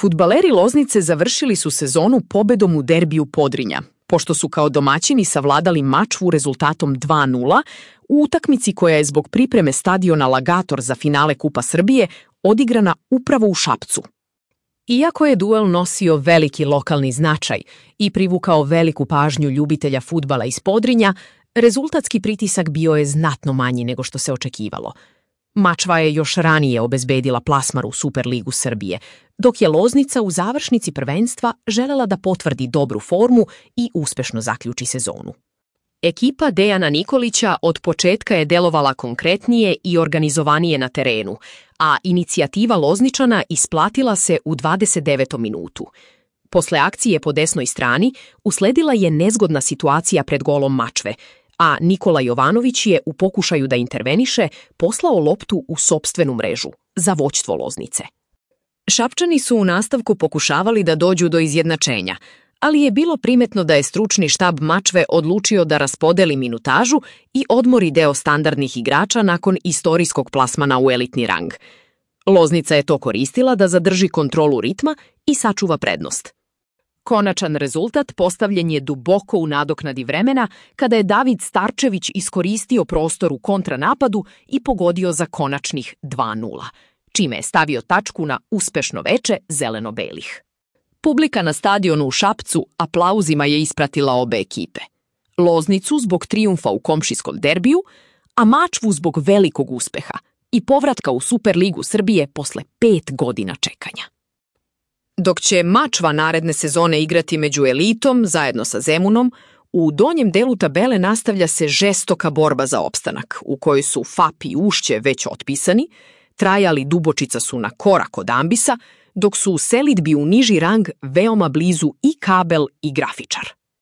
Fudbaleri Loznice završili su sezonu pobedom u derbiju Podrinja, pošto su kao domaćini savladali Mačvu rezultatom 2:0 u utakmici koja je zbog pripreme stadiona Lagator za finale Kupa Srbije odigrana upravo u Šapcu. Iako je duel nosio veliki lokalni značaj i privukao veliku pažnju ljubitelja fudbala iz Podrinja, rezultatski pritisak bio je znatno manji nego što se očekivalo. Mačva je još ranije obezbedila plasman u Superligu Srbije, dok je Loznica u završnici prvenstva želela da potvrdi dobru formu i uspešno zaključi sezonu. Ekipa Dejana Nikolića od početka je delovala konkretnije i organizovanije na terenu, a inicijativa Lozničana isplatila se u 29. minutu. Posle akcije po desnoj strani usledila je nezgodna situacija pred golom Mačve, a Nikola Jovanović je u pokušaju da interveniše poslao loptu u sopstvenu mrežu za vođstvo Loznice. Šapčani su u nastavku pokušavali da dođu do izjednačenja, ali je bilo primetno da je stručni štab Mačve odlučio da raspodeli minutažu i odmori deo standardnih igrača nakon istorijskog plasmana u elitni rang. Loznica je to koristila da zadrži kontrolu ritma i sačuva prednost. Konačan rezultat postavljen je duboko u nadoknadi vremena kada je David Starčević iskoristio prostor u kontranapadu i pogodio za konačnih 2:0, čime je stavio tačku na uspešno veče zeleno-belih. Publika na stadionu u Šapcu aplauzima je ispratila obe ekipe. Loznicu zbog trijumfa u komšijskom derbiju, a Mačvu zbog velikog uspeha i povratka u Superligu Srbije posle 5 godina čekanja. Dok će Mačva naredne sezone igrati među elitom zajedno sa Zemunom, u donjem delu tabele nastavlja se žestoka borba za opstanak, u kojoj su FAP i Ušće već otpisani, Trajali Dubočica su na korak od ambisa, dok su u selidbi u niži rang veoma blizu i Kabel i Grafičar.